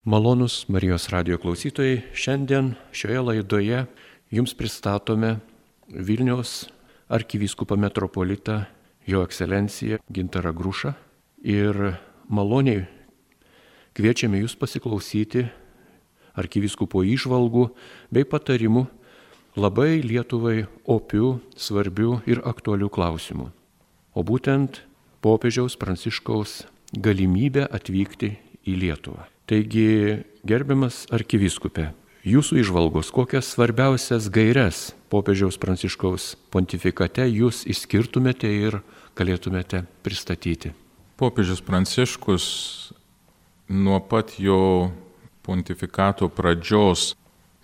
Malonūs Marijos radijo klausytojai, šiandien šioje laidoje jums pristatome Vilniaus arkivyskupą metropolitą Jo ekscelenciją Gintarą Grušą ir maloniai kviečiame jūs pasiklausyti arkivyskupo įžvalgų bei patarimų labai Lietuvai opių, svarbių ir aktualių klausimų. O būtent popiežiaus Pranciškaus galimybę atvykti į Lietuvą. Taigi, gerbiamas arkivyskupė, jūsų įžvalgos, kokias svarbiausias gaires popiežiaus Pranciškaus pontifikate jūs išskirtumėte ir galėtumėte pristatyti? Popiežius Pranciškus nuo pat jo pontifikato pradžios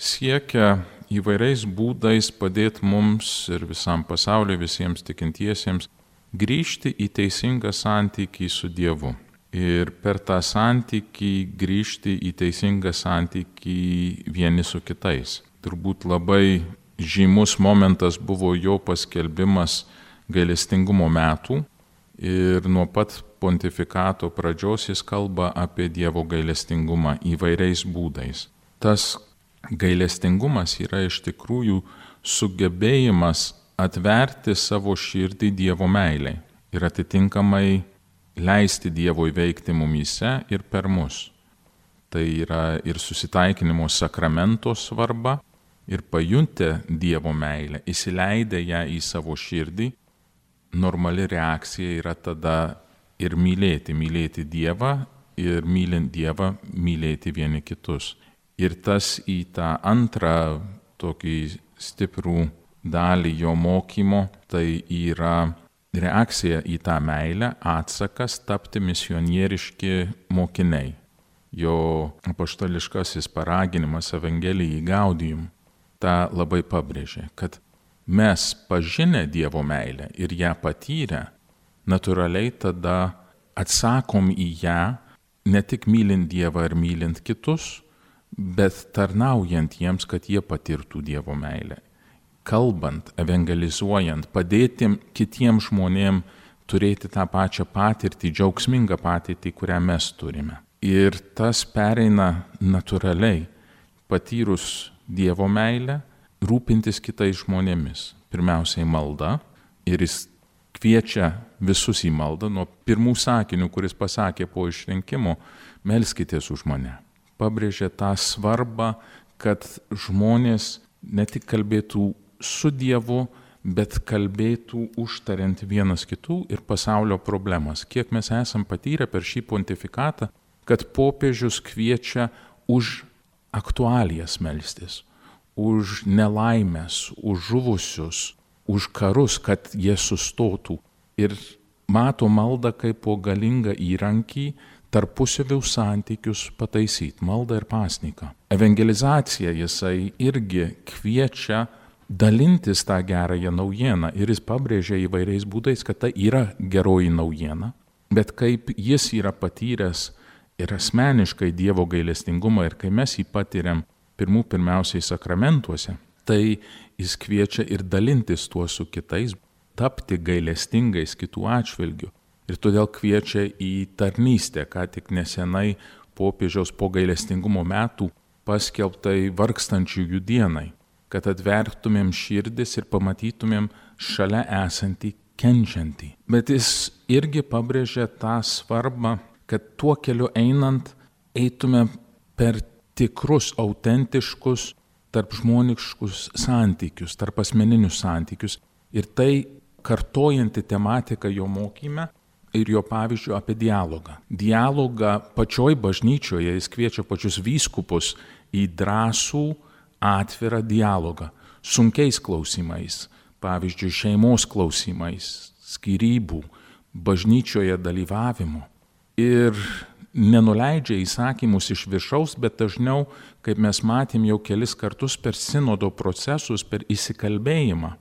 siekia įvairiais būdais padėti mums ir visam pasauliu, visiems tikintiesiems grįžti į teisingą santykį su Dievu. Ir per tą santykį grįžti į teisingą santykį vieni su kitais. Turbūt labai žymus momentas buvo jo paskelbimas gailestingumo metų ir nuo pat pontifikato pradžios jis kalba apie Dievo gailestingumą įvairiais būdais. Tas gailestingumas yra iš tikrųjų sugebėjimas atverti savo širdį Dievo meilei ir atitinkamai leisti Dievui veikti mumyse ir per mus. Tai yra ir susitaikinimo sakramento svarba, ir pajuntę Dievo meilę, įsileidę ją į savo širdį, normali reakcija yra tada ir mylėti Dievą ir mylint Dievą mylėti vieni kitus. Ir tas į tą antrą tokį stiprų dalį jo mokymo, tai yra reakcija į tą meilę, atsakas tapti misionieriški mokiniai. Jo apaštališkasis paraginimas Evangelijai Gaudium tą labai pabrėžė, kad mes pažinę Dievo meilę ir ją patyrę, natūraliai tada atsakom į ją ne tik mylint Dievą ir mylint kitus, bet tarnaujant jiems, kad jie patirtų Dievo meilę. Kalbant, evangelizuojant, padėti kitiems žmonėms turėti tą pačią patirtį, džiaugsmingą patirtį, kurią mes turime. Ir tas pereina natūraliai, patyrus Dievo meilę, rūpintis kitais žmonėmis. Pirmiausiai malda, ir jis kviečia visus į maldą nuo pirmų sakinių, kuris pasakė po išrinkimo, melskitės už mane. Pabrėžė tą svarbą, kad žmonės ne tik kalbėtų su Dievu, bet kalbėtų užtariant vienas kitų ir pasaulio problemas. Kiek mes esam patyrę per šį pontifikatą, kad popiežius kviečia už aktualijas melstis, už nelaimės, už žuvusius, už karus, kad jie sustotų. Ir mato maldą kaip po galingą įrankį tarpusavio santykius pataisyti, maldą ir pasniką. Evangelizacija jisai irgi kviečia dalintis tą gerąją naujieną ir jis pabrėžia įvairiais būdais, kad tai yra geroji naujiena, bet kaip jis yra patyręs ir asmeniškai Dievo gailestingumą ir kai mes jį patiriam pirmiausiai sakramentuose, tai jis kviečia ir dalintis tuo su kitais, tapti gailestingais kitų atžvilgių. Ir todėl kviečia į tarnystę, ką tik nesenai popiežiaus po gailestingumo metų paskelbtai vargstančiųjų dienai, kad atvertumėm širdis ir pamatytumėm šalia esantį kenčiantį. Bet jis irgi pabrėžė tą svarbą, kad tuo keliu einant eitume per tikrus, autentiškus, tarpžmoniškus santykius, tarp asmeninius santykius. Ir tai kartojanti tematika jo mokyme ir jo pavyzdžių apie dialogą. Dialogą pačioj bažnyčioje jis kviečia pačius vyskupus į drąsų, atvirą dialogą, sunkiais klausimais, pavyzdžiui, šeimos klausimais, skyrybų, bažnyčioje dalyvavimo. Ir nenuleidžia įsakymus iš viršaus, bet dažniau, kaip mes matėm jau kelis kartus per sinodo procesus, per įsikalbėjimą.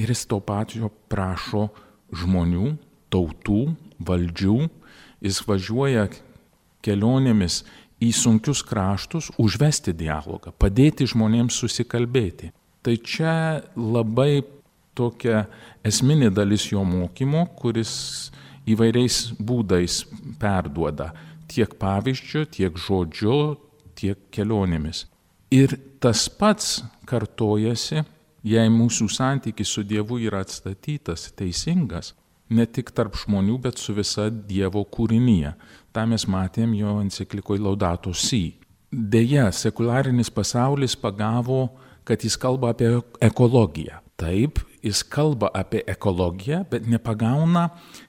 Ir jis to pačio prašo žmonių, tautų, valdžių. Jis važiuoja kelionėmis į sunkius kraštus, užvesti dialogą, padėti žmonėms susikalbėti. Tai čia labai tokia esminė dalis jo mokymo, kuris įvairiais būdais perduoda tiek pavyzdžiu, tiek žodžiu, tiek kelionėmis. Ir tas pats kartojasi, jei mūsų santykis su Dievu yra atstatytas, teisingas, ne tik tarp žmonių, bet su visa Dievo kūrinyje. Ta mes matėm jo enciklikoje Laudato Si. Deja, sekularinis pasaulis pagavo, kad jis kalba apie ekologiją. Taip, jis kalba apie ekologiją, bet nepagauna,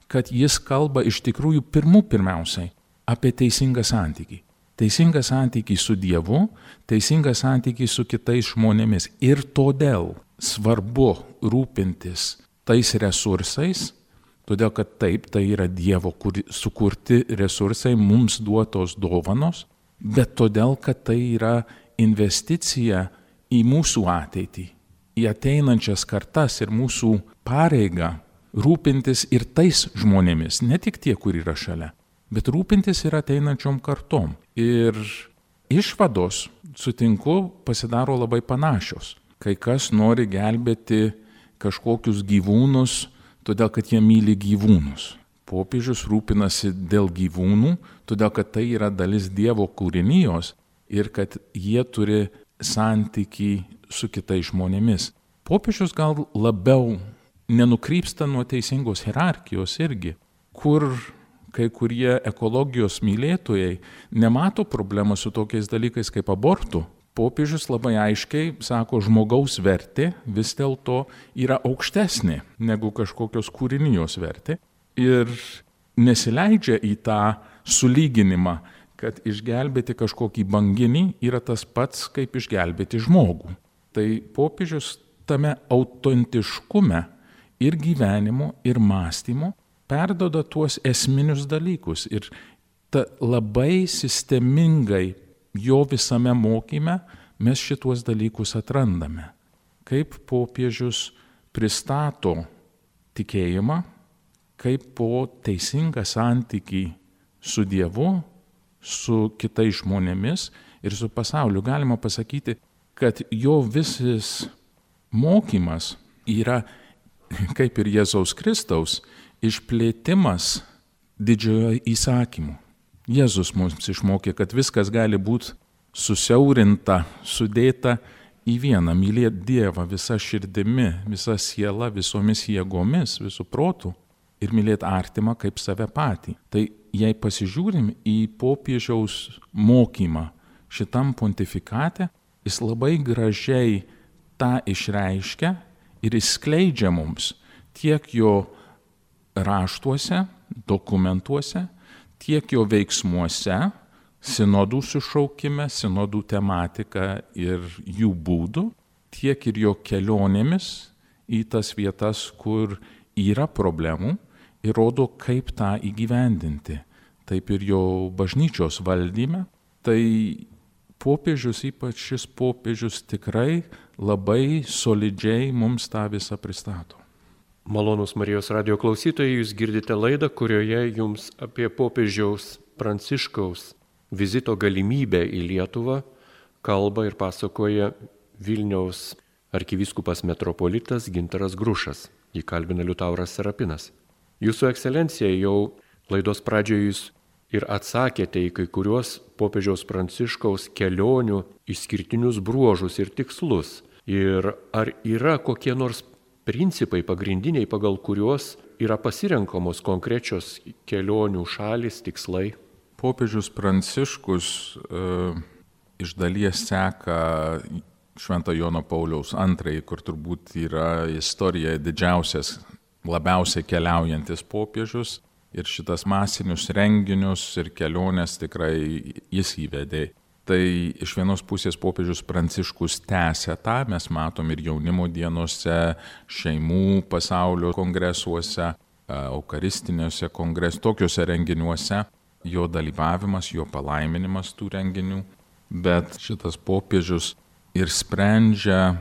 kad jis kalba iš tikrųjų pirmiausiai apie teisingą santykį. Teisingą santykį su Dievu, teisingą santykį su kitais žmonėmis. Ir todėl svarbu rūpintis tais resursais, todėl kad taip, tai yra Dievo sukurti resursai, mums duotos dovanos, bet todėl, kad tai yra investicija į mūsų ateitį, į ateinančias kartas ir mūsų pareigą rūpintis ir tais žmonėmis, ne tik tie, kur yra šalia, bet rūpintis ir ateinančiom kartom. Ir išvados, sutinku, pasidaro labai panašios. Kai kas nori gelbėti kažkokius gyvūnus, todėl kad jie myli gyvūnus. Popiežius rūpinasi dėl gyvūnų, todėl kad tai yra dalis Dievo kūrinijos ir kad jie turi santykį su kitais žmonėmis. Popiežius gal labiau nenukrypsta nuo teisingos hierarchijos irgi, kur kai kurie ekologijos mylėtojai nemato problemą su tokiais dalykais kaip abortų. Popiežius labai aiškiai sako, žmogaus vertė vis dėlto yra aukštesnė negu kažkokios kūrinijos vertė ir nesileidžia į tą sulyginimą, kad išgelbėti kažkokį banginį yra tas pats, kaip išgelbėti žmogų. Tai popiežius tame autentiškume ir gyvenimo, ir mąstymo perdoda tuos esminius dalykus ir labai sistemingai jo visame mokyme mes šituos dalykus atrandame. Kaip popiežius pristato tikėjimą, kaip po teisingą santykį su Dievu, su kitais žmonėmis ir su pasauliu. Galima pasakyti, kad jo visas mokymas yra, kaip ir Jėzaus Kristaus, išplėtimas didžiojo įsakymu. Jėzus mums išmokė, kad viskas gali būti susiaurinta, sudėta į vieną, mylėti Dievą visą širdimi, visą sielą, visomis jėgomis, visų protų ir mylėti artimą kaip save patį. Tai jei pasižiūrim į popiežiaus mokymą šitam pontifikate, jis labai gražiai tą išreiškia ir išskleidžia mums tiek jo raštuose, dokumentuose, tiek jo veiksmuose, sinodų sušaukime, sinodų tematika ir jų būdų, tiek ir jo kelionėmis į tas vietas, kur yra problemų ir rodo, kaip tą įgyvendinti. Taip ir jo bažnyčios valdyme. Tai popiežius, ypač šis popiežius, tikrai labai solidžiai mums tą visą pristato. Malonūs Marijos radijo klausytojai, jūs girdite laidą, kurioje jums apie popiežiaus Pranciškaus vizito galimybę į Lietuvą kalba ir pasakoja Vilniaus arkivyskupas metropolitas Gintaras Grušas. Jį kalbina Liutauras Serapinas. Jūsų ekscelencija, jau laidos pradžioje jūs ir atsakėte į kai kuriuos popiežiaus Pranciškaus kelionių išskirtinius bruožus ir tikslus. Ir ar yra kokie nors principai pagrindiniai, pagal kuriuos yra pasirenkamos konkrečios kelionių šalys, tikslai? Popiežius Pranciškus iš dalies seka Švento Jono Pauliaus II, kur turbūt yra istorijoje didžiausias, labiausiai keliaujantis popiežius. Ir šitas masinius renginius ir keliones tikrai jis įvedė. Tai iš vienos pusės popiežius Pranciškus tęsia tą, mes matom ir jaunimo dienose, šeimų pasaulio kongresuose, eukaristiniuose tokiuose renginiuose, jo dalyvavimas, jo palaiminimas tų renginių. Bet šitas popiežius ir sprendžia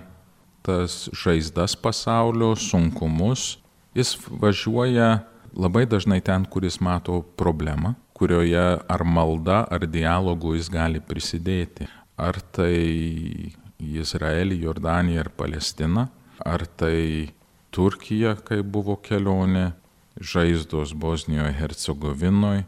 tas žaizdas pasaulio, sunkumus. Jis važiuoja labai dažnai ten, kur jis mato problemą, kurioje ar malda, ar dialogu jis gali prisidėti. Ar tai Izraelį, Jordaniją ar Palestiną, ar tai Turkija, kai buvo kelionė, žaizdos Bosnijoje, Hercegovinoje,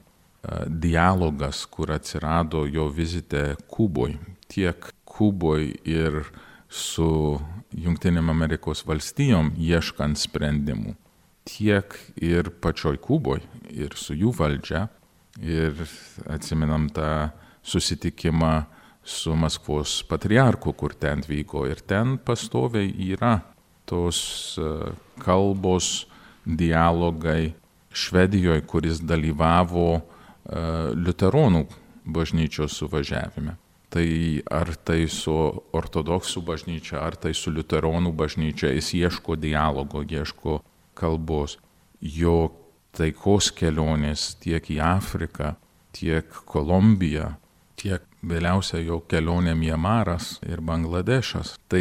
dialogas, kur atsirado jo vizite Kuboj, tiek Kuboj ir su Jungtinėm Amerikos valstijom ieškant sprendimų, tiek ir pačioj Kuboj ir su jų valdžia. Ir atsimenam tą susitikimą su Maskvos patriarchu, kur ten vyko. Ir ten pastoviai yra tos kalbos, dialogai Švedijoje, kuris dalyvavo liuteronų bažnyčios suvažiavime. Tai ar tai su ortodoksų bažnyčia, ar tai su liuteronų bažnyčia, jis ieško dialogo, ieško kalbos. Jo taikos kelionės tiek į Afriką, tiek Kolumbiją, tiek vėliausia jo kelionė Mianmaras ir Bangladešas. Tai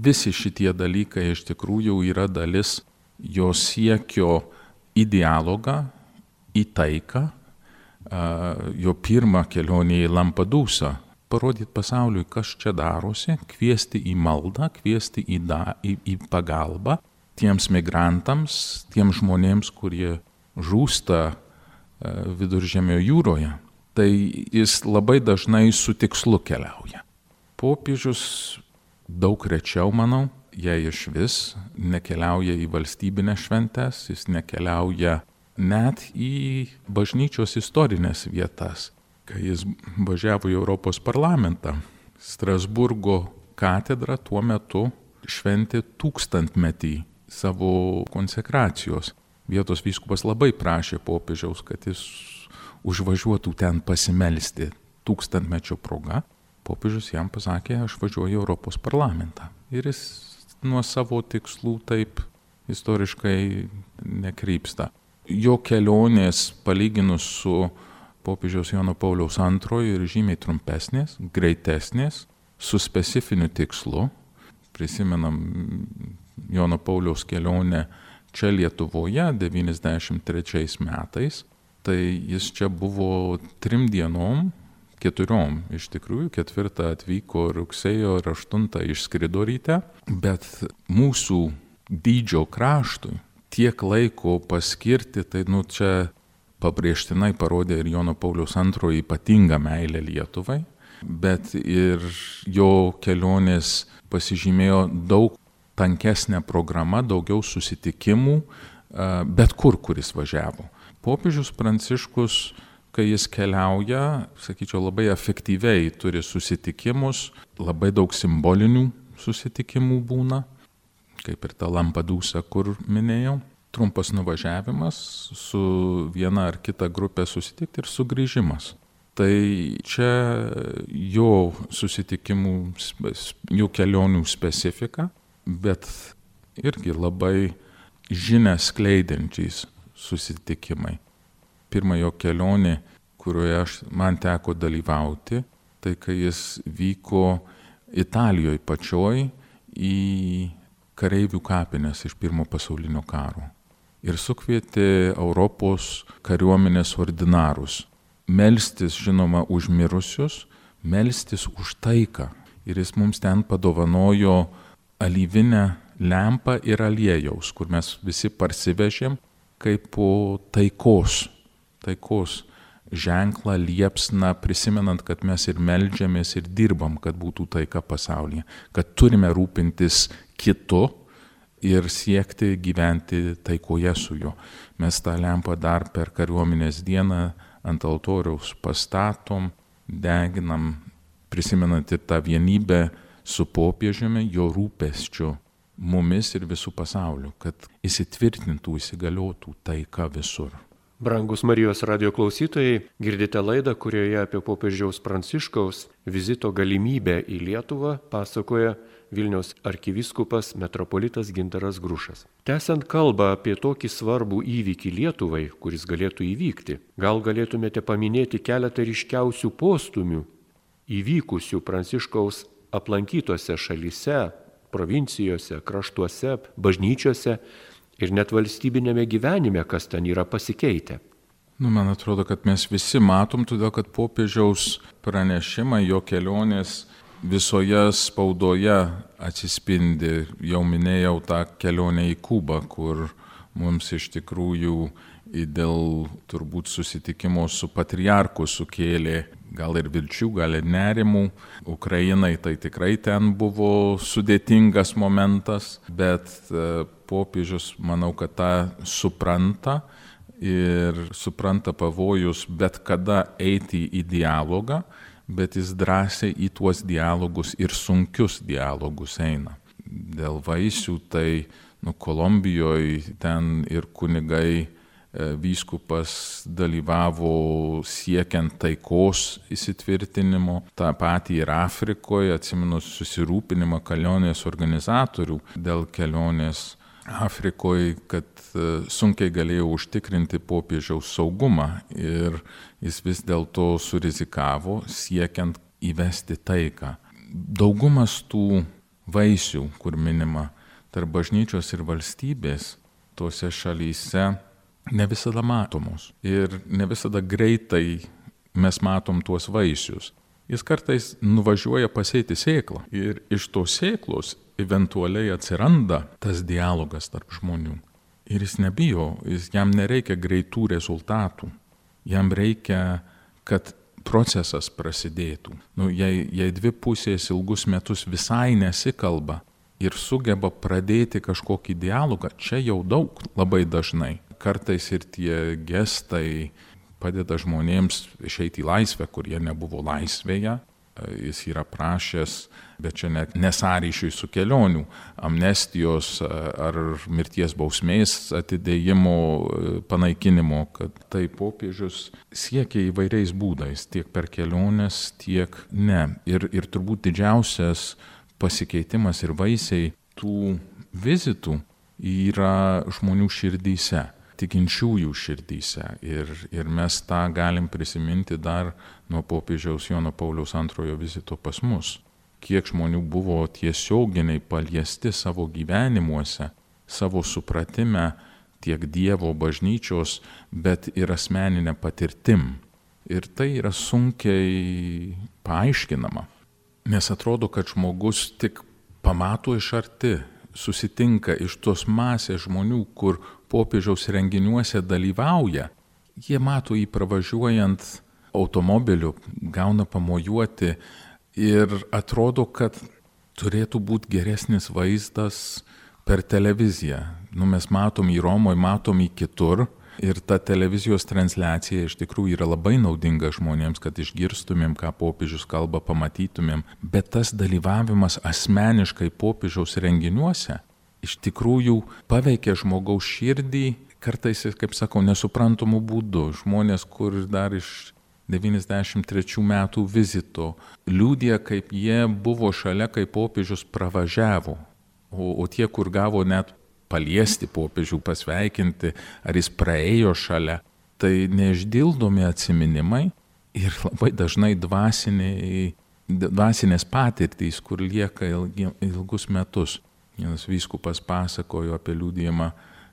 visi šitie dalykai iš tikrųjų yra dalis jo siekio į dialogą, į taiką. Jo pirma kelionė į Lampedusą, parodyti pasauliui, kas čia darosi, kviesti į maldą, kviesti į pagalbą tiems migrantams, tiems žmonėms, kurie žūsta Viduržemio jūroje. Tai jis labai dažnai su tikslu keliauja. Popiežius daug rečiau, manau, jei iš vis nekeliauja į valstybinės šventes, jis nekeliauja net į bažnyčios istorinės vietas. Kai jis važiavo į Europos parlamentą, Strasburgo katedra tuo metu šventė 1000-metį savo konsekracijos. Vietos vyskupas labai prašė popiežiaus, kad jis užvažiuotų ten pasimelsti 1000-mečio proga. Popiežius jam pasakė, aš važiuoju į Europos parlamentą. Ir jis nuo savo tikslų taip istoriškai nekrypsta. Jo kelionės palyginus su popiežiaus Jono Pauliaus II ir žymiai trumpesnės, greitesnės, su specifiniu tikslu. Prisimenam Jono Pauliaus kelionę čia Lietuvoje 93 metais, tai jis čia buvo 3 dienom, 4 iš tikrųjų, 4 atvyko rugsėjo ir 8 išskrido ryte, bet mūsų dydžio kraštui tiek laiko paskirti, tai čia pabrėžtinai parodė ir Jono Pauliaus II ypatingą meilę Lietuvai, bet ir jo kelionės pasižymėjo daug tankesnė programa, daugiau susitikimų, bet kur jis važiavo. Popiežius Pranciškus, kai jis keliauja, sakyčiau, labai efektyviai turi susitikimus, labai daug simbolinių susitikimų būna, kaip ir ta Lampedusa, kur minėjau. Trumpas nuvažiavimas, su viena ar kita grupė susitikti ir sugrįžimas. Tai čia jo susitikimų, jų kelionių specifika, bet irgi labai žinią skleidžiančiais susitikimai. Pirma jo kelionė, kurioje man teko dalyvauti, tai kai jis vyko Italijoje pačioj į kareivių kapines iš Pirmo pasaulinio karo. Ir sukvietė Europos kariuomenės ordinarus melstis, žinoma, už mirusius, melstis už taiką. Ir jis mums ten padovanojo alyvinę lempą ir aliejaus, kur mes visi parsivežėm kaip po taikos ženklą, liepsną, prisimenant, kad mes ir meldžiamės ir dirbam, kad būtų taika pasaulyje, kad turime rūpintis kitu ir siekti gyventi taikoje su juo. Mes tą lempą dar per kariuomenės dieną ant altoriaus pastatom, deginam, prisimenant ir tą vienybę su popiežiumi, jo rūpesčiu mumis ir visų pasauliu, kad įsitvirtintų, įsigaliotų taika visur. Brangus Marijos radijo klausytojai, girdite laidą, kurioje apie popiežiaus Pranciškaus vizito galimybę į Lietuvą pasakoja Vilniaus arkivyskupas metropolitas Gintaras Grušas. Tęsiant kalbą apie tokį svarbų įvykį Lietuvai, kuris galėtų įvykti, gal galėtumėte paminėti keletą ryškiausių postumių įvykusių Pranciškaus aplankytose šalyse, provincijose, kraštuose, bažnyčiose ir net valstybinėme gyvenime, kas ten yra pasikeitę. Man atrodo, kad mes visi matom, todėl kad popiežiaus pranešimai, jo kelionės visoje spaudoje atsispindi. Jau minėjau tą kelionę į Kubą, kur mums iš tikrųjų dėl turbūt susitikimo su patriarchu sukėlė gal ir vilčių, gal ir nerimų. Ukrainai tai tikrai ten buvo sudėtingas momentas, bet popiežius, manau, kad tą supranta ir supranta pavojus bet kada eiti į dialogą, bet jis drąsiai į tuos dialogus ir sunkius dialogus eina. Dėl vaisių tai Kolumbijoje ten ir kunigai, vyskupas dalyvavo siekiant taikos įsitvirtinimo, tą patį ir Afrikoje, atsimenu susirūpinimą kelionės organizatorių dėl kelionės Afrikoje, kad sunkiai galėjo užtikrinti popiežiaus saugumą ir jis vis dėlto surizikavo siekiant įvesti taiką. Daugumas tų vaisių, kur minima tarp bažnyčios ir valstybės, tose šalyse ne visada matomos ir ne visada greitai mes matom tuos vaisius. Jis kartais nuvažiuoja pasėti sėklą ir iš tos sėklos eventualiai atsiranda tas dialogas tarp žmonių. Ir jis nebijo, jam nereikia greitų rezultatų, jam reikia, kad procesas prasidėtų. Jei dvi pusės ilgus metus visai nesikalba ir sugeba pradėti kažkokį dialogą, čia jau daug labai dažnai. Kartais ir tie gestai padeda žmonėms išeiti į laisvę, kurie nebuvo laisvėje. Jis yra prašęs, bet čia net nesąryšiui su kelionių, amnestijos ar mirties bausmės atidėjimo, panaikinimo, kad tai popiežius siekia įvairiais būdais, tiek per keliones, tiek ne. Ir turbūt didžiausias pasikeitimas ir vaisiai tų vizitų yra žmonių širdyse, tikinčiųjų širdyse. Ir mes tą galim prisiminti dar nuo popiežiaus Jono Pauliaus II vizito pas mus. Kiek žmonių buvo tiesioginiai paliesti savo gyvenimuose, savo supratime tiek Dievo bažnyčios, bet ir asmeninė patirtim. Ir tai yra sunkiai paaiškinama. Nes atrodo, kad žmogus tik pamato iš arti, susitinka iš tos masės žmonių, kur popiežiaus renginiuose dalyvauja. Jie mato jį pravažiuojant automobiliu, gauna pamojuoti ir atrodo, kad turėtų būti geresnis vaizdas per televiziją. Mes matom į Romoje, matom į kitur. Ir ta televizijos transliacija iš tikrųjų yra labai naudinga žmonėms, kad išgirstumėm, ką popiežius kalba, pamatytumėm. Bet tas dalyvavimas asmeniškai popiežiaus renginiuose iš tikrųjų paveikia žmogaus širdį, kartais, kaip sakau, nesuprantamų būdų. Žmonės, kur dar iš 93 metų vizito liudija, kaip jie buvo šalia, kai popiežius pravažiavo. O tie, kur gavo net paliesti popiežių, pasveikinti, ar jis praėjo šalia, tai neišdildomi atsiminimai ir labai dažnai dvasinės patirtys, kur lieka ilgus metus. Vienas vyskupas pasakojo apie liudijimą,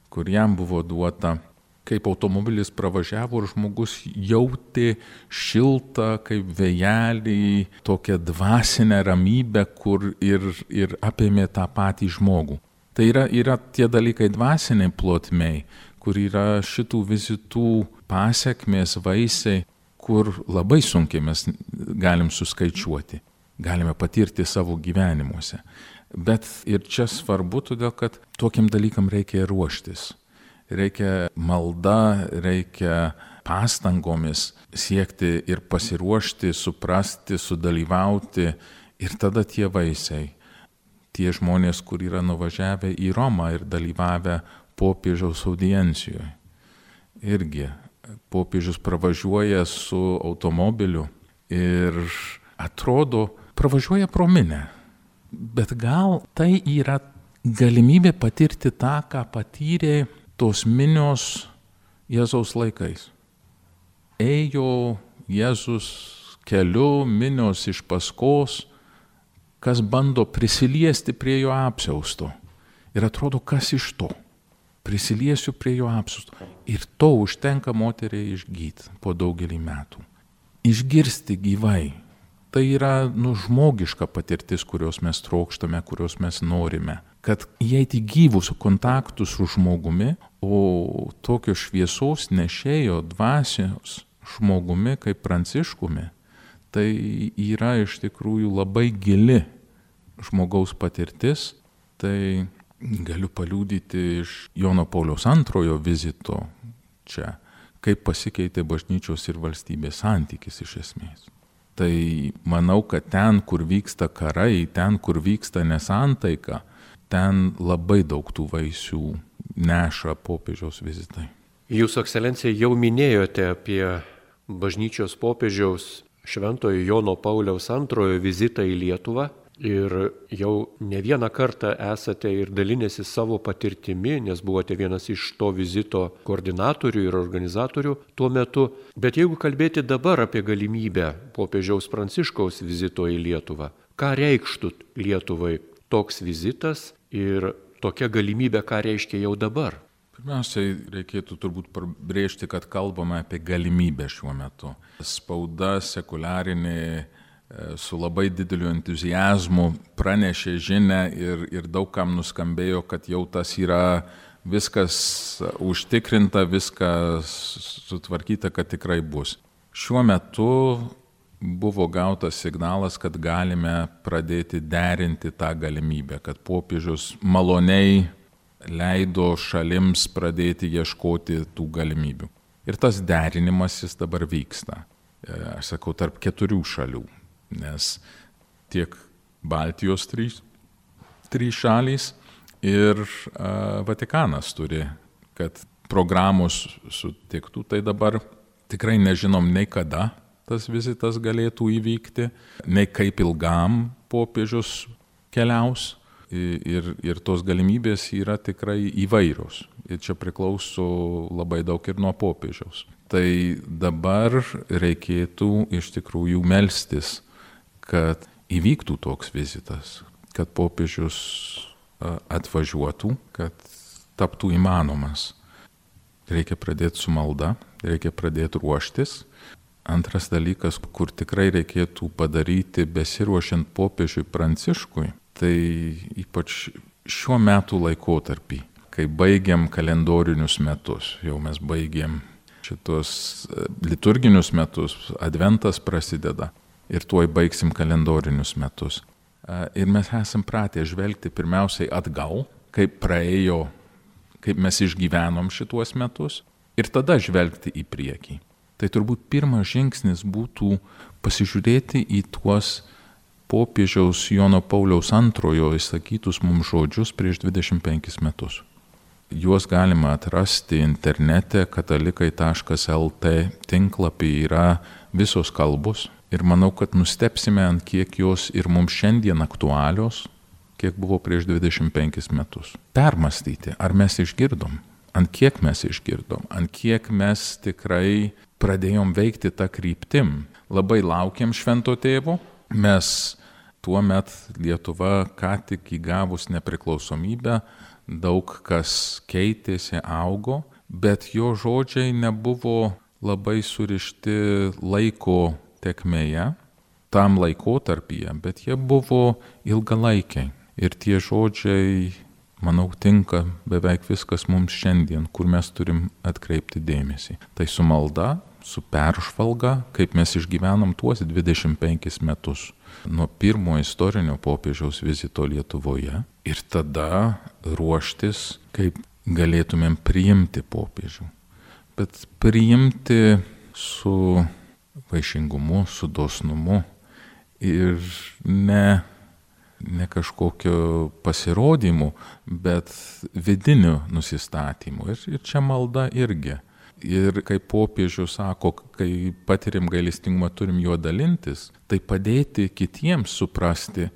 kur jam buvo duota, kaip automobilis pravažiavo ir žmogus jautė šiltą, kaip vėjelį, tokią dvasinę ramybę, kur ir apėmė tą patį žmogų. Tai yra tie dalykai dvasiniai plotmei, kur yra šitų vizitų pasekmės, vaisiai, kur labai sunkiai mes galim suskaičiuoti, galime patirti savo gyvenimuose. Bet ir čia svarbu, todėl kad tokiam dalykam reikia ruoštis. Reikia malda, reikia pastangomis siekti ir pasiruošti, suprasti, sudalyvauti ir tada tie vaisiai. Tie žmonės, kur yra nuvažiavę į Romą ir dalyvavę popiežiaus audiencijoje. Irgi popiežius pravažiuoja su automobiliu ir atrodo, pravažiuoja pro minią. Bet gal tai yra galimybė patirti tą, ką patyrė tos minios Jėzaus laikais. Ėjo Jėzus keliu, minios iš paskos, kas bando prisiliesti prie jo apsiausto. Ir atrodo, kas iš to? Prisiliesiu prie jo apsiausto. Ir to užtenka moteriai išgyti po daugelį metų. Išgirsti gyvai. Tai yra žmogiška patirtis, kurios mes trokštame, kurios mes norime. kad įeiti gyvus kontaktus su žmogumi, o tokio šviesos nešėjo dvasios žmogumi kaip Pranciškumi, tai yra iš tikrųjų labai gili žmogaus patirtis. Tai galiu paliudyti iš Jono Pauliaus II vizito čia, kaip pasikeitė bažnyčios ir valstybės santykis iš esmės. Tai manau, kad ten, kur vyksta karai, ten, kur vyksta nesantaika, ten labai daug tų vaisių neša popiežiaus vizitai. Jūsų ekscelencija jau minėjote apie bažnyčios popiežiaus Šventojo Jono Pauliaus II vizitą į Lietuvą ir jau ne vieną kartą esate ir dalinęsi savo patirtimi, nes buvote vienas iš to vizito koordinatorių ir organizatorių tuo metu. Bet jeigu kalbėti dabar apie galimybę popiežiaus Pranciškaus vizito į Lietuvą, ką reikštų Lietuvai toks vizitas ir tokia galimybė, ką reiškia jau dabar? Pirmiausiai reikėtų turbūt pabrėžti, kad kalbame apie galimybę šiuo metu. Spauda sekuliarinė su labai dideliu entuziazmu pranešė žinią ir daug kam nuskambėjo, kad jau tas yra viskas užtikrinta, viskas sutvarkyta, kad tikrai bus. Šiuo metu buvo gautas signalas, kad galime pradėti derinti tą galimybę, kad popiežius maloniai leido šalims pradėti ieškoti tų galimybių. Ir tas derinimas jis dabar vyksta, aš sakau, tarp 4 šalių, nes tiek Baltijos 3 šalys ir Vatikanas turi, kad programos sutiktų, tai dabar tikrai nežinom nei kada tas vizitas galėtų įvykti, nei kaip ilgam popiežius keliaus. Ir tos galimybės yra tikrai įvairios. Ir čia priklauso labai daug ir nuo popiežiaus. Tai dabar reikėtų iš tikrųjų melstis, kad įvyktų toks vizitas, kad popiežius atvažiuotų, kad taptų įmanomas. Reikia pradėti su malda, reikia pradėti ruoštis. Antras dalykas, kur tikrai reikėtų padaryti besiruošiant popiežiui Pranciškui, tai ypač šiuo metų laikotarpį, kai baigiam kalendorinius metus, jau mes baigiam šitos liturginius metus, adventas prasideda ir tuoj baigsim kalendorinius metus. Ir mes esam pratę žvelgti pirmiausiai atgal, kaip praėjo, kaip mes išgyvenom šituos metus ir tada žvelgti į priekį. Tai turbūt pirmas žingsnis būtų pasižiūrėti į tuos popiežiaus Jono Pauliaus II įsakytus mums žodžius prieš 25 metus. Juos galima atrasti internete katalikai.lt tinklapį, yra visos kalbos ir manau, kad nustebsime, ant kiek jos ir mums šiandien aktualios, kiek buvo prieš 25 metus. Permastyti, ar mes išgirdom, ant kiek mes išgirdom, ant kiek mes tikrai pradėjom veikti tą kryptim. Labai laukiam Švento Tėvo. Mes tuo met Lietuva ką tik įgavus nepriklausomybę, daug kas keitėsi, augo, bet jo žodžiai nebuvo labai surišti laiko tėkmėje, tam laikotarpyje, bet jie buvo ilgalaikiai. Ir tie žodžiai, manau, tinka beveik viskas mums šiandien, kur mes turim atkreipti dėmesį. Tai su malda, su peržvalga, kaip mes išgyvenom tuos 25 metus nuo pirmo istorinio popiežiaus vizito Lietuvoje ir tada ruoštis, kaip galėtumėm priimti popiežių. Bet priimti su vaišingumu, su dosnumu ir ne kažkokio pasirodymu, bet vidiniu nusistatymu. Ir čia malda irgi. Ir kaip popiežius sako, kai patirim gailestingumą, turim juo dalintis, tai padėti kitiems suprasti,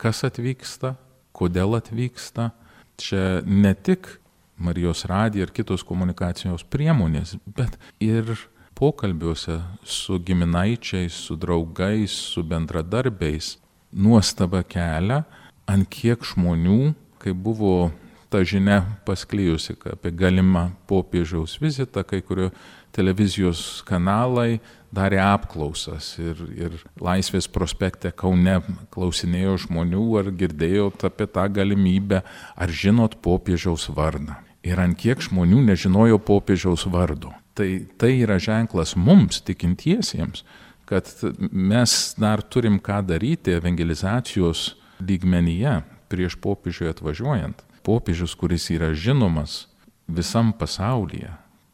kas atvyksta, kodėl atvyksta. Čia ne tik Marijos radija ir kitos komunikacijos priemonės, bet ir pokalbiuose su giminaičiais, su draugais, su bendradarbiais nuostaba kelia, ant kiek žmonių, kai buvo ta žinia pasklijusi apie galimą popiežiaus vizitą, kai kurio televizijos kanalai darė apklausas ir Laisvės prospekte Kaune klausinėjo žmonių, ar girdėjot apie tą galimybę, ar žinot popiežiaus vardą. Ir ant kiek žmonių nežinojo popiežiaus vardo. Tai yra ženklas mums, tikintiesiems, kad mes dar turim ką daryti evangelizacijos lygmenyje prieš popiežiui atvažiuojant. Popiežius, kuris yra žinomas visam pasaulyje,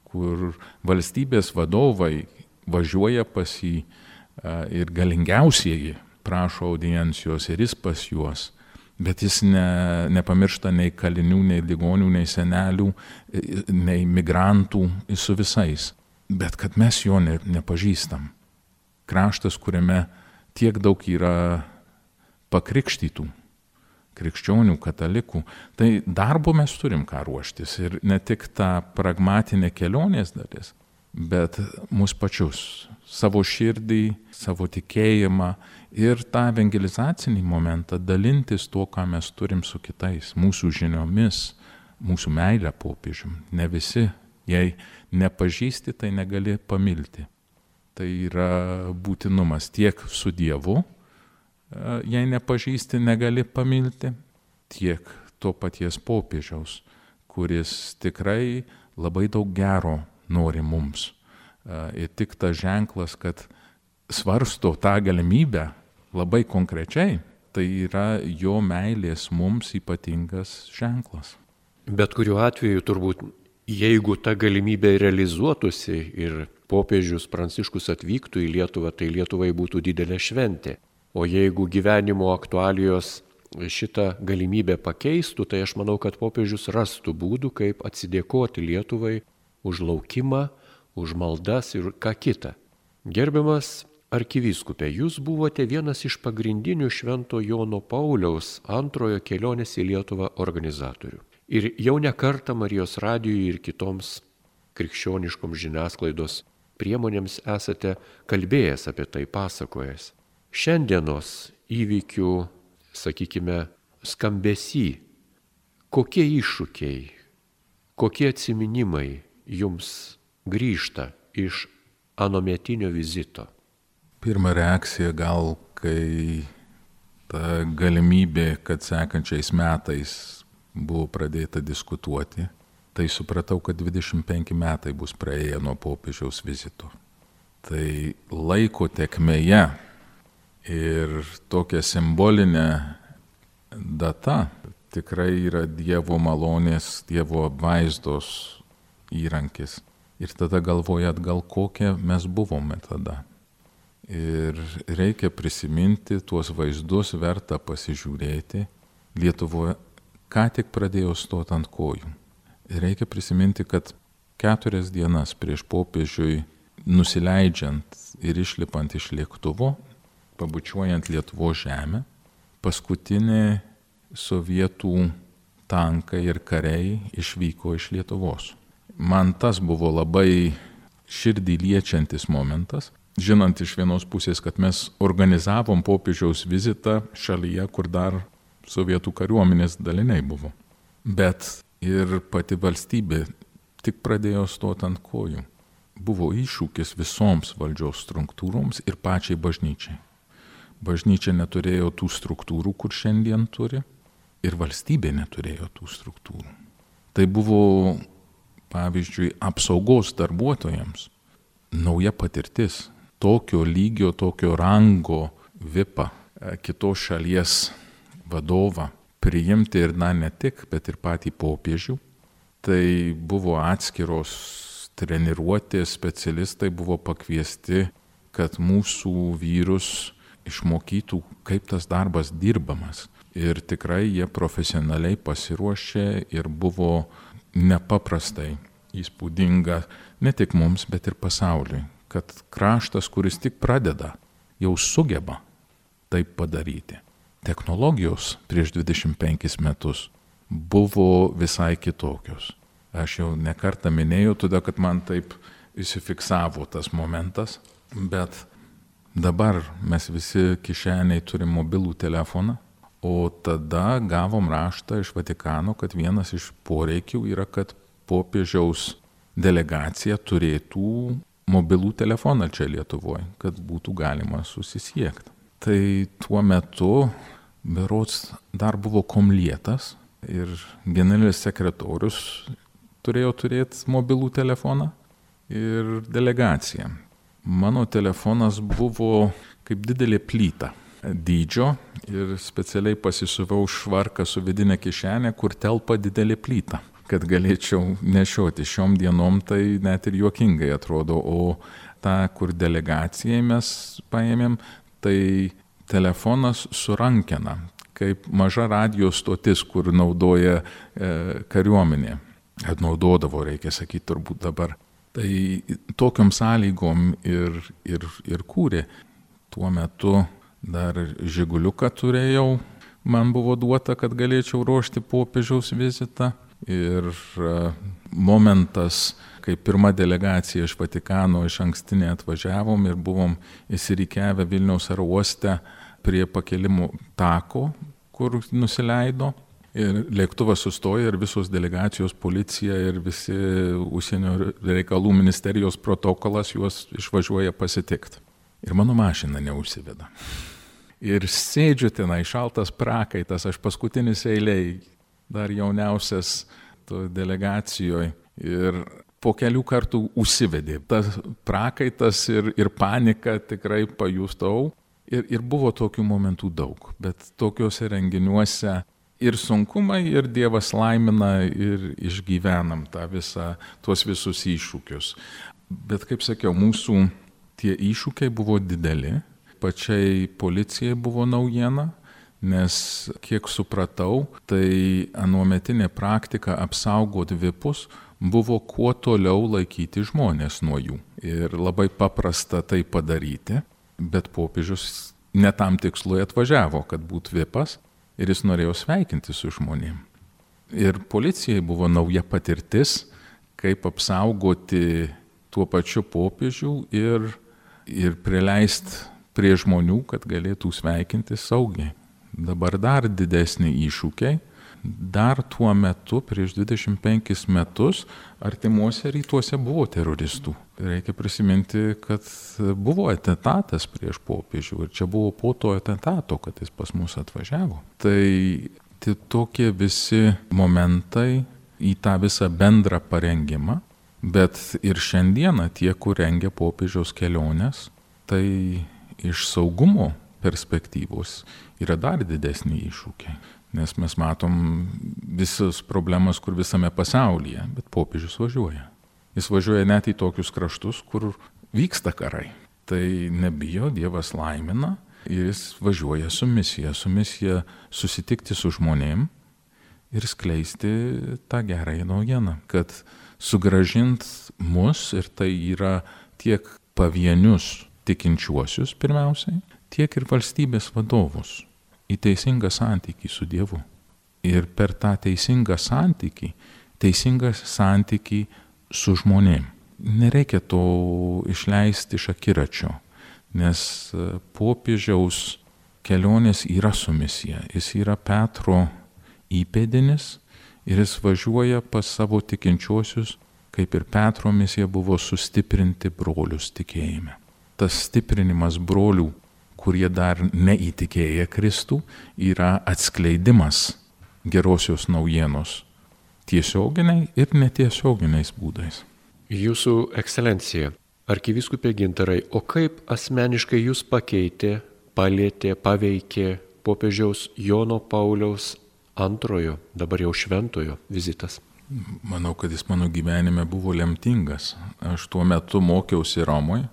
kur valstybės vadovai važiuoja pas jį ir galingiausieji prašo audiencijos ir jis pas juos, bet jis nepamiršta nei kalinių, nei ligonių, nei senelių, nei migrantų, su visais. Bet kad mes jo nepažįstam. Kraštas, kuriame tiek daug yra pakrikštytų, krikščionių, katalikų, tai darbo mes turim ką ruoštis ir ne tik tą pragmatinę kelionės dalis, bet mus pačius, savo širdį, savo tikėjimą ir tą evangelizacinį momentą dalintis tuo, ką mes turim su kitais, mūsų žiniomis, mūsų meilę popiežium. Ne visi, jei nepažįsti, tai negali pamilti. Tai yra būtinumas tiek su Dievu, jei nepažįsti, negali pamilti, tiek to paties popiežiaus, kuris tikrai labai daug gero nori mums. Ir tik tas ženklas, kad svarsto tą galimybę labai konkrečiai, tai yra jo meilės mums ypatingas ženklas. Bet kuriuo atveju turbūt, jeigu ta galimybė realizuotųsi ir popiežius Pranciškus atvyktų į Lietuvą, tai Lietuvai būtų didelė šventė. O jeigu gyvenimo aktualijos šitą galimybę pakeistų, tai aš manau, kad popiežius rastų būdų, kaip atsidėkoti Lietuvai už laukimą, už maldas ir ką kita. Gerbiamas arkivyskupė, jūs buvote vienas iš pagrindinių Švento Jono Pauliaus antrojo kelionės į Lietuvą organizatorių. Ir jau ne kartą Marijos radijui ir kitoms krikščioniškoms žiniasklaidos priemonėms esate kalbėjęs apie tai, pasakojęs. Šiandienos įvykių, sakykime, skambesy, kokie iššūkiai, kokie atsiminimai jums grįžta iš anometinio vizito? Pirma reakcija gal, kai ta galimybė, kad sekančiais metais buvo pradėta diskutuoti, tai supratau, kad 25 metai bus praėję nuo popiežiaus vizito. Tai laiko tekmėje ir tokia simbolinė data tikrai yra Dievo malonės, Dievo apvaizdos įrankis. Ir tada galvoja atgal, kokie mes buvome tada. Ir reikia prisiminti tuos vaizdus, verta pasižiūrėti. Lietuvoje ką tik pradėjo stoti ant kojų. Ir reikia prisiminti, kad 4 dienas prieš popiežiui nusileidžiant ir išlipant iš lėktuvo, pabučiuojant Lietuvos žemę, paskutinė sovietų tankai ir kariai išvyko iš Lietuvos. Man tas buvo labai širdį liečiantis momentas, žinant iš vienos pusės, kad mes organizavom popiežiaus vizitą šalyje, kur dar sovietų kariuomenės daliniai buvo. Bet ir pati valstybė tik pradėjo stoti ant kojų. Buvo iššūkis visoms valdžios struktūroms ir pačiai bažnyčiai. Bažnyčia neturėjo tų struktūrų, kur šiandien turi, ir valstybė neturėjo tų struktūrų. Tai buvo, pavyzdžiui, apsaugos darbuotojams nauja patirtis, tokio lygio, tokio rango vipą, kitos šalies vadovą priimti ir ne tik, bet ir patį popiežių. Tai buvo atskiros treniruotės, specialistai buvo pakviesti, kad mūsų vyrus išmokytų, kaip tas darbas dirbamas. Ir tikrai jie profesionaliai pasiruošė ir buvo nepaprastai įspūdinga ne tik mums, bet ir pasauliui, kad kraštas, kuris tik pradeda, jau sugeba taip padaryti. Technologijos prieš 25 metus buvo visai kitokios. Aš jau nekartą minėjau, todėl kad man taip įsifiksavo tas momentas, bet dabar mes visi kišeniai turim mobilų telefoną, O tada gavom raštą iš Vatikano, kad vienas iš poreikių yra, kad popiežiaus delegacija turėtų mobilų telefoną čia Lietuvoje, kad būtų galima susisiekti. Tai tuo metu berods dar buvo komlietas ir generalinis sekretorius turėjo turėti mobilų telefoną ir delegacija. Mano telefonas buvo kaip didelė plyta dydžio ir specialiai pasisuvau švarką su vidinė kišenė, kur telpa didelė plyta, kad galėčiau nešioti. Šiom dienom tai net ir juokingai atrodo, o tą, kur delegacijai mes paėmėm, tai telefonas su rankena, kaip maža radijo stotis, kur naudoja kariuomenė. Naudodavo, reikia sakyti, turbūt dabar. Tai tokiom sąlygom ir kūrė. Tuo metu dar Žiguliuką turėjau, man buvo duota, kad galėčiau ruošti popiežiaus vizitą. Ir momentas, kai pirma delegacija iš Vatikano iš ankstinė atvažiavom ir buvom įsirikiavę Vilniaus oro uoste prie pakelimo tako, kur nusileido. Ir lėktuvas sustoja ir visos delegacijos, policija ir visi užsienio reikalų ministerijos protokolas juos išvažiuoja pasitikti. Ir mano mašina neužsiveda. Ir sėdžiu tenai, šaltas prakaitas, aš paskutinis eiliai, dar jauniausias delegacijoje. Ir po kelių kartų užsivedė. Tas prakaitas ir panika tikrai pajustau. Ir buvo tokių momentų daug, bet tokiuose renginiuose ir sunkumai, ir Dievas laimina, ir išgyvenam tuos visus iššūkius. Bet kaip sakiau, mūsų tie iššūkiai buvo dideli, pačiai policijai buvo naujiena, nes kiek supratau, tai anuometinė praktika apsaugoti vipus buvo kuo toliau laikyti žmonės nuo jų. Ir labai paprasta tai padaryti, bet popiežius ne tam tikslui atvažiavo, kad būtų vipas. Ir jis norėjo sveikinti su žmonėm. Ir policijai buvo nauja patirtis, kaip apsaugoti tuo pačiu popiežių ir prileisti prie žmonių, kad galėtų sveikinti saugiai. Dabar dar didesni iššūkiai. Dar tuo metu, prieš 25 metus, artimuose rytuose buvo teroristų. Reikia prisiminti, kad buvo atentatas prieš popiežių ir čia buvo po to atentato, kad jis pas mus atvažiavo. Tai tokie visi momentai į tą visą bendrą parengimą, bet ir šiandieną tie, kur rengia popiežiaus keliones, tai iš saugumo perspektyvos yra dar didesni iššūkiai. Nes mes matom visas problemas, kur visame pasaulyje, bet popiežius važiuoja. Jis važiuoja net į tokius kraštus, kur vyksta karai. Tai nebijo, Dievas laimina ir jis važiuoja su misija susitikti su žmonėm ir skleisti tą gerąją naujieną, kad sugrąžint mus, ir tai yra tiek pavienius tikinčiuosius pirmiausiai, tiek ir valstybės vadovus į teisingą santykį su Dievu. Ir per tą teisingą santykį su žmonėm. Nereikia to išleisti iš akiračio, nes popiežiaus kelionės yra su misija. Jis yra Petro įpėdinis ir jis važiuoja pas savo tikinčiuosius, kaip ir Petro misija buvo sustiprinti brolius tikėjime. Tas stiprinimas brolių, kurie dar neįtikėję Kristų, yra atskleidimas gerosios naujienos tiesioginiai ir netiesioginiais būdais. Jūsų ekscelencija, arkivyskupė Gintarai, o kaip asmeniškai jūs pakeitė, palietė, paveikė popiežiaus Jono Pauliaus II, dabar jau šventojo vizitas? Manau, kad jis mano gyvenime buvo lemtingas. Aš tuo metu mokiausi Romoje,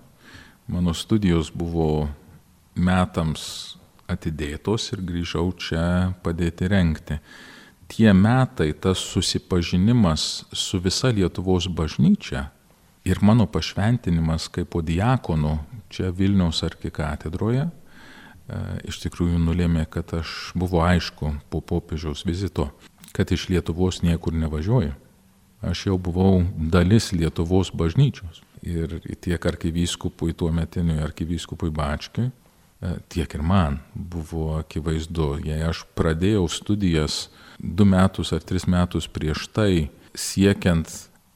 mano studijos buvo metams atidėtos ir grįžau čia padėti rengti. Tie metai, tas susipažinimas su visa Lietuvos bažnyčia ir mano pašventinimas kaip diakonų čia Vilniaus arkikatedroje iš tikrųjų nulėmė, kad aš buvo aišku po popiežiaus vizito, kad iš Lietuvos niekur nevažiuoju. Aš jau buvau dalis Lietuvos bažnyčios. Ir tiek arkivyskupui, tuometiniui arkivyskupui Bačkiui, tiek ir man buvo akivaizdu. Jei aš pradėjau studijas 2 metus ar 3 metus prieš tai, siekiant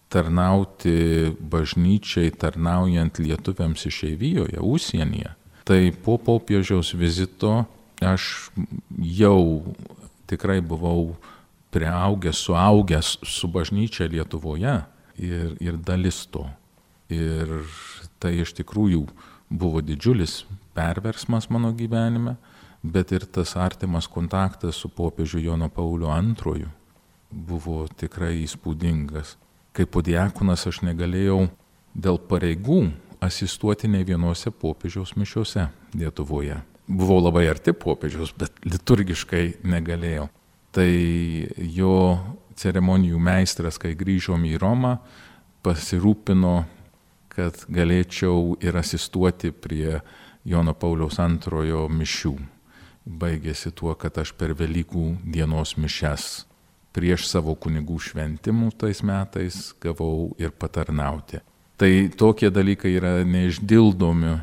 tarnauti bažnyčiai, tarnaujant lietuviams išeivijoje, užsienyje, tai po popiežiaus vizito aš jau tikrai buvau priaugęs, suaugęs su bažnyčia Lietuvoje ir dalis to. Ir tai iš tikrųjų buvo didžiulis perversmas mano gyvenime, bet ir tas artimas kontaktas su popiežiu Jonu Pauliu II buvo tikrai įspūdingas. Kaip podiakonas aš negalėjau dėl pareigų asistuoti nei vienose popiežiaus mišiose Lietuvoje. Buvau labai arti popiežiaus, bet liturgiškai negalėjau. Tai jo ceremonijų meistras, kai grįžom į Romą, pasirūpino, kad galėčiau ir asistuoti prie Jono Pauliaus II mišių. Baigėsi tuo, kad aš per Velykų dienos mišias prieš savo kunigų šventimų tais metais gavau ir patarnauti. Tai tokie dalykai yra neišdildomi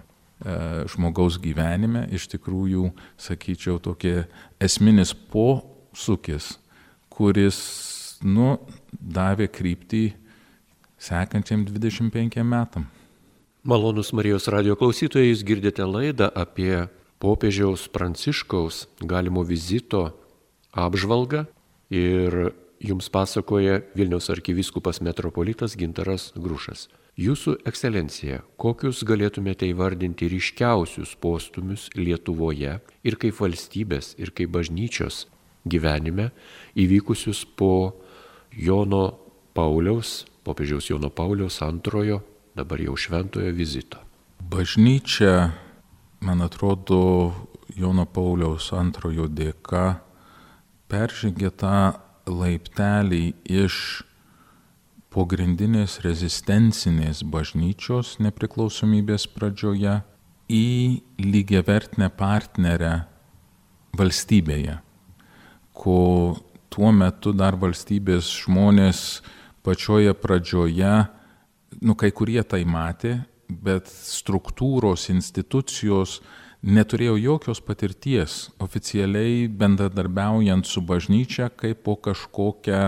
žmogaus gyvenime, iš tikrųjų, sakyčiau, tokie esminis posūkis, kuris, davė kryptį sekančiam 25 metam. Malonus Marijos radijo klausytojai, jūs girdite laidą apie popiežiaus Pranciškaus galimo vizito apžvalgą ir jums pasakoja Vilniaus arkivyskupas metropolitas Gintaras Grušas. Jūsų ekscelencija, kokius galėtumėte įvardinti ryškiausius postūmius Lietuvoje ir kaip valstybės, ir kaip bažnyčios gyvenime įvykusius po popiežiaus Jono Pauliaus II, dabar jau šventojo vizito? Bažnyčia, man atrodo, Jono Pauliaus II dėka peržengė tą laiptelį iš pogrindinės rezistencinės bažnyčios nepriklausomybės pradžioje į lygiavertinę partnerę valstybėje, ko tuo metu dar valstybės žmonės pačioje pradžioje, kai kurie tai matė, bet struktūros, institucijos neturėjo jokios patirties oficialiai bendradarbiaujant su bažnyčia kaip po kažkokią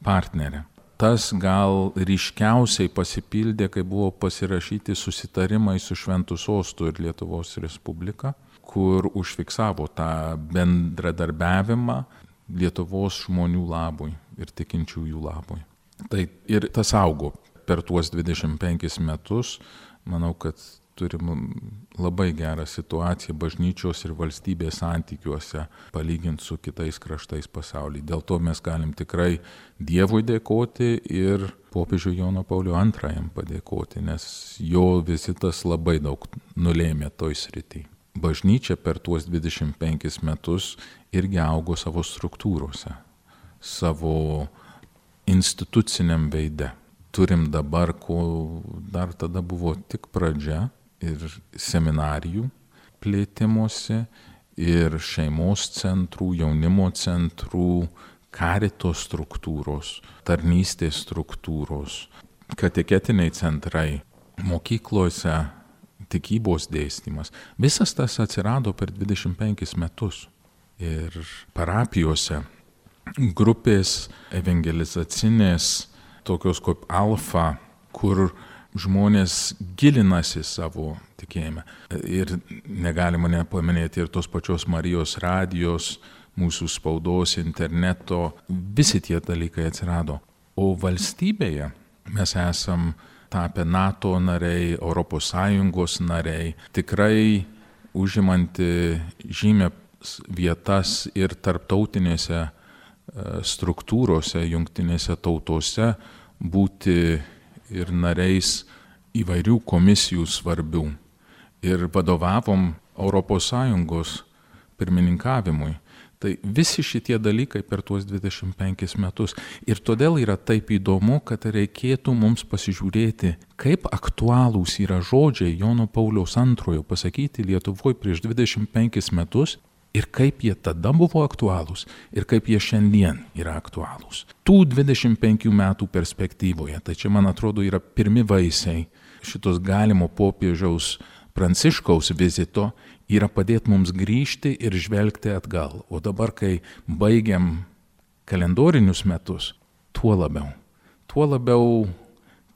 partnerę. Tas gal ryškiausiai pasipildė, kai buvo pasirašyti susitarimai su Šventu Sostu ir Lietuvos Respublika, kur užfiksavo tą bendradarbiavimą Lietuvos žmonių labui ir tikinčiųjų labui. Tai ir tas augo per tuos 25 metus. Manau, kad turim labai gerą situaciją bažnyčios ir valstybės santykiuose palyginti su kitais kraštais pasaulyje. Dėl to mes galim tikrai Dievui dėkoti ir popiežiui Jono Pauliui II padėkoti, nes jo vizitas labai daug nulėmė toj srity. Bažnyčia per tuos 25 metus irgi augo savo struktūrose, savo instituciniam veide. Turim dabar, ko dar tada buvo tik pradžia, ir seminarijų plėtimuose, ir šeimos centrų, jaunimo centrų, karito struktūros, tarnystės struktūros, katechetiniai centrai, mokyklose tikybos dėstymas. Visas tas atsirado per 25 metus. Ir parapijose grupės evangelizacinės, tokios kaip Alfa, kur žmonės gilinasi savo tikėjime. Ir negalima nepaminėti ir tos pačios Marijos radijos, mūsų spaudos, interneto, visi tie dalykai atsirado. O valstybėje mes esam tapę NATO nariai, ES nariai, tikrai užimanti žymę vietas ir tarptautinėse struktūrose, jungtinėse tautose, būti ir nariais įvairių komisijų svarbių. Ir vadovavom ES pirmininkavimui. Tai visi šitie dalykai per tuos 25 metus. Ir todėl yra taip įdomu, kad reikėtų mums pasižiūrėti, kaip aktualūs yra žodžiai Jono Pauliaus II pasakyti Lietuvoje prieš 25 metus, ir kaip jie tada buvo aktualūs, ir kaip jie šiandien yra aktualūs. Tų 25 metų perspektyvoje, tai čia, man atrodo, yra pirmi vaisiai šitos galimo popiežiaus Pranciškaus vizito yra padėti mums grįžti ir žvelgti atgal. O dabar, kai baigiam kalendorinius metus, tuo labiau,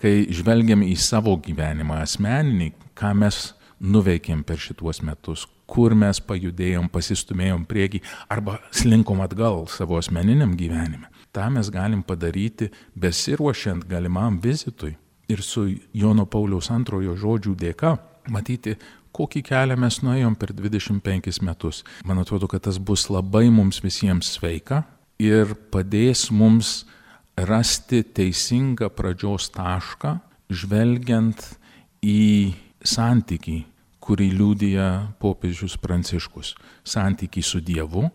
kai žvelgiam į savo gyvenimą asmeninį, ką mes nuveikėm per šituos metus, kur mes pajudėjom, pasistumėjom priekį arba slinkom atgal savo asmeniniam gyvenime. Ta mes galim padaryti besiruošiant galimam vizitui ir su Jono Pauliaus II žodžių dėka matyti, kokį kelią mes nuėjom per 25 metus. Man atrodo, kad tas bus labai mums visiems sveika ir padės mums rasti teisingą pradžios tašką, žvelgiant į santykį, kurį liudija popiežius Pranciškus. Santykį su Dievu,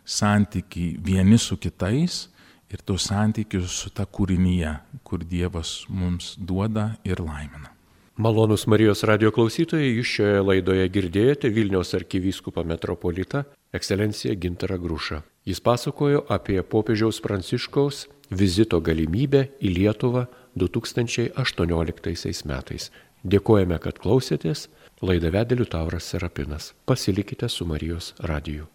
santykį vieni su kitais ir tos santykius su ta kūrinyje, kur Dievas mums duoda ir laimina. Malonūs Marijos radijo klausytojai, jūs šioje laidoje girdėjote Vilniaus arkivyskupą metropolitą ekscelenciją Gintarą Grušą. Jis pasakojo apie popiežiaus Pranciškaus vizito galimybę į Lietuvą 2018 metais. Dėkojame, kad klausėtės. Laidą vedė Liutauras Serapinas. Pasilikite su Marijos radiju.